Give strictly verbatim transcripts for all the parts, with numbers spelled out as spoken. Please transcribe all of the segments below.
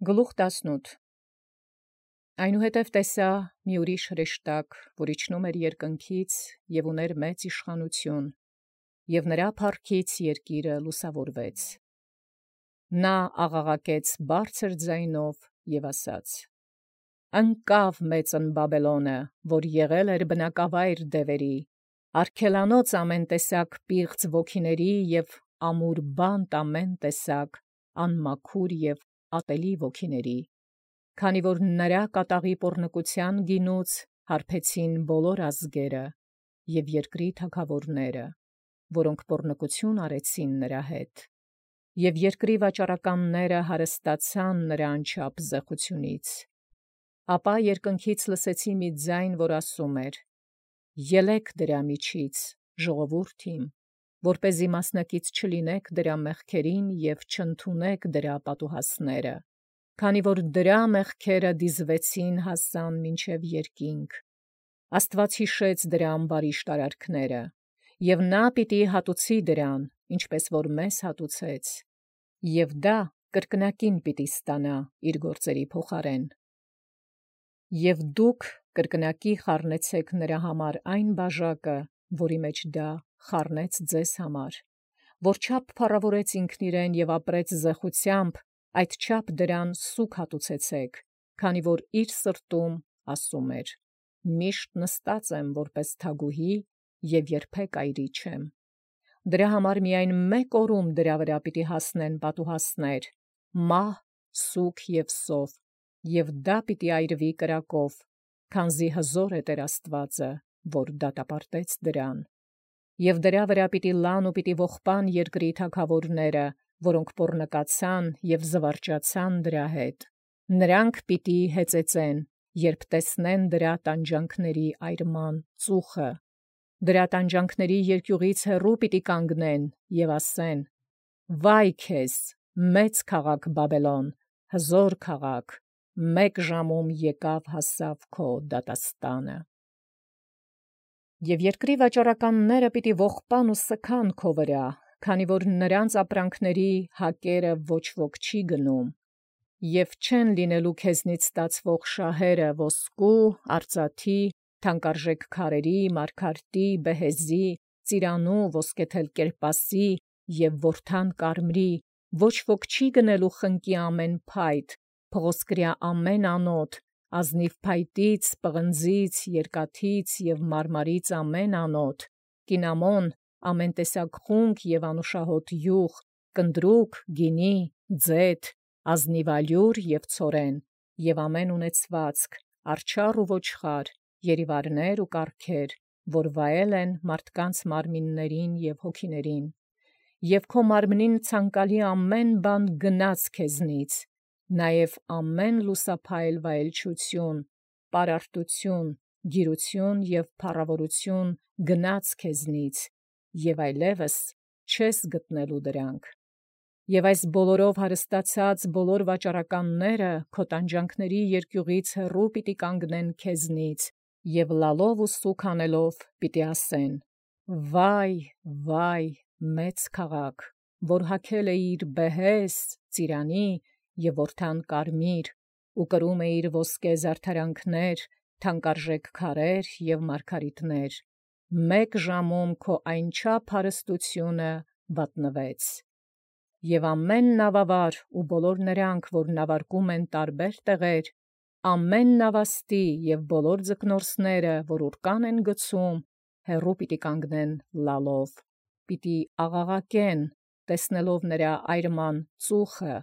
Գլուխ տասնութ Այնուհետև տեսա մի ուրիշ հրեշտակ, որ իջնում էր երկնքից և ուներ մեծ իշխանութիւն, և նրա փառքից երկիրը լուսաւորվեց։ Նա աղաղակեց բարձր ձայնով և ասաց. «Ընկավ մեծն Բաբելոնը, որ եղել էր բնակավայր դևերի, արգելանոց ամեն տեսակ պիղծ ոգիների և ամուր բանտ ամեն տեսակ անմաքուր և ատելի ոգիների, քանի որ նրա կատաղի պոռնկութեան գինուց հարբեցին բոլոր ազգերը և երկրի թագաւորները, որոնք պոռնկութիւն արեցին նրա հետ, և երկրի վաճառականները հարստացան նրա անչափ զեղութիւնից։ Ապա երկնքից լսեցի մի ձայն, որ ասում էր. «Ելէք դրա միջից, ժողովուրդ իմ, որպեսզի մասնակից չլինեք դրա մեղքերին և չընդունեք դրա պատուհասները, քանի որ դրա մեղքերը դիզվեցին հասան մինչև երկինք։ Աստուած յիշեց դրա ամբարիշտ արարքները, և նա պիտի հատուցի դրան, ինչպես որ մեզ հատուցեց, և դա կրկնակին պիտի ստանա իր գործերի փոխարեն։ Եւ դուք կրկնակի խառնեցիք նրա համար այն բաժակը, որի մեջ դա խառնեց ձեզ համար, որչափ փառաւորեց ինքն իրեն և ապրեց զեխությամբ, այդչափ դրան սուգ հատուցեցիք, քանի որ իր սրտում ասում էր. «Միշտ նստած եմ որպես թագուհի և երբեք այրի չեմ»։ Դրա համար միայն մեկ օրում դրա վրա պիտի հասնեն պատուհասներ, մահ, սուգ և սով, և դա պիտի այրվի կրակով, քանզի հզոր է Տէր Աստուածը, որ դատապարտեց դրան։ Եւ դրա վրա պիտի լան ու պիտի ողբան երկրի թագաւորները, որոնք պոռնկացան և զվարճացան դրա հետ. նրանք պիտի հեծեծեն, երբ տեսնեն դրա տանջանքների այրման ծուխը, դրա տանջանքների երկիւղից հեռու պիտի կանգնեն և ասեն. «Վայ քեզ, մեծ քաղաք Բաբելոն, հզոր քաղաք, մեկ ժամում եկավ հասավ քո դատաստանը»։ Եւ երկրի վաճառականները պիտի ողբան ու սգան քո վրա, քանի որ նրանց ապրանքների հակերը ոչ ոք չի գնում, և չեն լինելու քեզնից ստացվող շահերը ոսկու, արծաթի, թանկարժեք քարերի, մարգարտի, բեհեզի, ծիրանու, ոսկեթել կերպասի և որդան կարմրի, ոչ ոք չի գնելու խնկի ամեն փայտ, փղոսկրյա ամեն անոթ, ազնիվ փայտից, պղնձից, երկաթից և մարմարից ամեն անոթ, կինամոն, ամեն տեսակ խունկ և անուշահոտ յուղ, կնդրուկ, գինի, ձեթ, ազնիվ ալյուր և ցորեն, և ամեն ունեցվածք, արջառ ու ոչխար, երիվարներ ու կառքեր, որ վայել են մարդկանց մարմիններին և հոգիներին, և քո մարմնին ցանկալի ամեն բան գնաց քեզնից, նաև ամեն լուսափայլ վայելչութիւն, պարարտութիւն, գիրութիւն և փառաւորութիւն գնաց քեզնից, և այլևս չես գտնելու դրանք։ Եւ այս բոլորով հարստացած բոլոր վաճառականները քո տանջանքների երկիւղից հեռու պիտի կանգնեն քեզնից, և լալով ու սուգ հանելով պիտի ասեն. «Վայ, վայ, մեծ քաղաք, որ հագել էիր բեհեզ, ծիրանի և որդան կարմիր, ու կրում էիր ոսկե զարդարանքներ, թանկարժեք քարեր և մարգարիտներ, մեկ ժամում քո այնչափ հարստութիւնը վատնվեց։ Եւ ամեն նավավար ու բոլոր նրանք, որ նավարկում են տարբեր տեղեր, ամեն նավաստի և բոլոր ձկնորսները, որ ուռկան են գցում, հեռու պիտի կանգնեն լալով, պիտի աղաղակեն, տեսնելով նրա այրման ծուխը,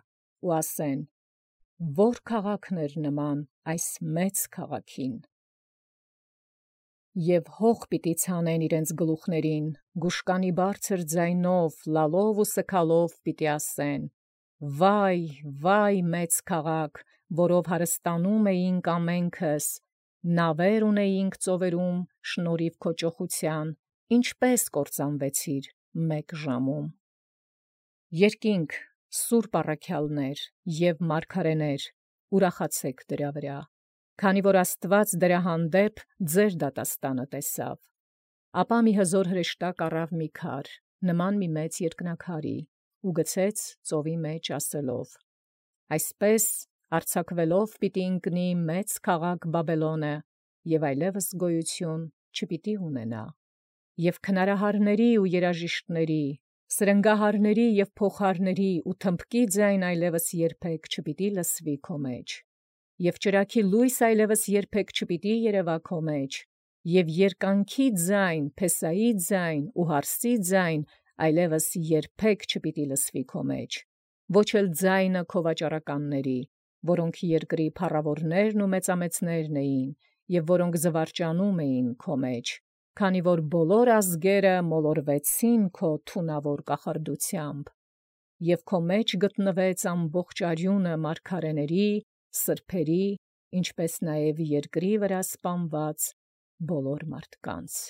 ու ասեն. «Ո՞ր քաղաքն էր նման այս մեծ քաղաքին»։ Եւ հող պիտի ցանեն իրենց գլուխներին, գուշկանի բարձր ձայնով, լալով ու սգալով պիտի ասեն. «Վայ, վայ, մեծ քաղաք, որով հարստանում էինք ամենքս, նավեր ունեինք ծովերում շնորհիվ քո ճոխութեան, ինչպէս կործանվեցիր մեկ ժամում»։ Երկինք, սուրբ առաքյալներ և մարգարէներ, ուրախացե՛ք դրա վրա, քանի որ Աստուած դրա հանդեպ ձեր դատաստանը տեսաւ։ Ապա մի հզոր հրեշտակ առավ մի քար, նման մի մեծ երկնաքարի, ու գցեց ծովի մեջ ասելով. «Այսպես արձակվելով պիտի ընկնի մեծ քաղաք Բաբելոնը, և այլևս գոյություն չպիտի ունենա։ Եւ քնարահարների ու երաժիշտների, սրնգահարների եւ փոխարների ու թմբկի ձայն այլևս երբեք չպիտի լսվի քո մեջ, եւ ճրագի լույս այլևս երբեք չպիտի երևա քո մեջ, եւ երկանքի ձայն, փեսայի ձայն ու հարսի ձայն այլևս երբեք չպիտի լսվի քո մեջ, ոչ էլ ձայնը քո վաճառականների, որոնք երկրի փառավորներն ու մեծամեծներն էին, եւ որոնք զվարճանում էին քո մեջ, քանի որ բոլոր ազգերը մոլորվեցին քո թունավոր կախարդությամբ, եւ քո մեջ գտնվեց ամբողջ արյունը մարգարեների, սրբերի, ինչպես նաեւ երկրի վրա սպանված բոլոր մարդկանց։